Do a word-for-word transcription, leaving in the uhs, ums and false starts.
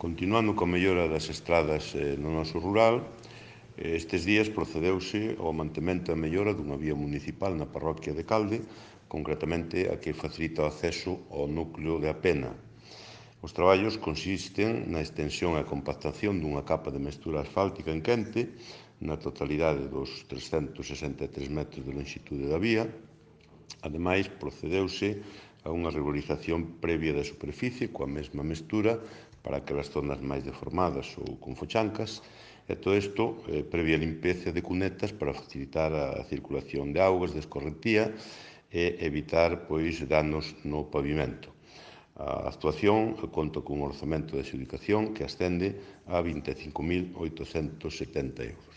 Continuando coa mellora das estradas no noso rural, estes días procedeuse ao mantemento e mellora dunha vía municipal na parroquia de Calde, concretamente a que facilita o acceso ao núcleo de Apena. Os traballos consisten na extensión e compactación dunha capa de mestura asfáltica en quente na totalidade dos trescentos sesenta e tres metros de longitude da vía. Ademais, procedeuse a unha regularización previa da superficie coa mesma mestura para aquelas zonas máis deformadas ou con fochancas, e todo isto eh, previa limpeza de cunetas para facilitar a circulación de augas de escorrentía e evitar pois danos no pavimento. A actuación conta cun orzamento de adxudicación que ascende a vinte e cinco mil oitocentos setenta euros.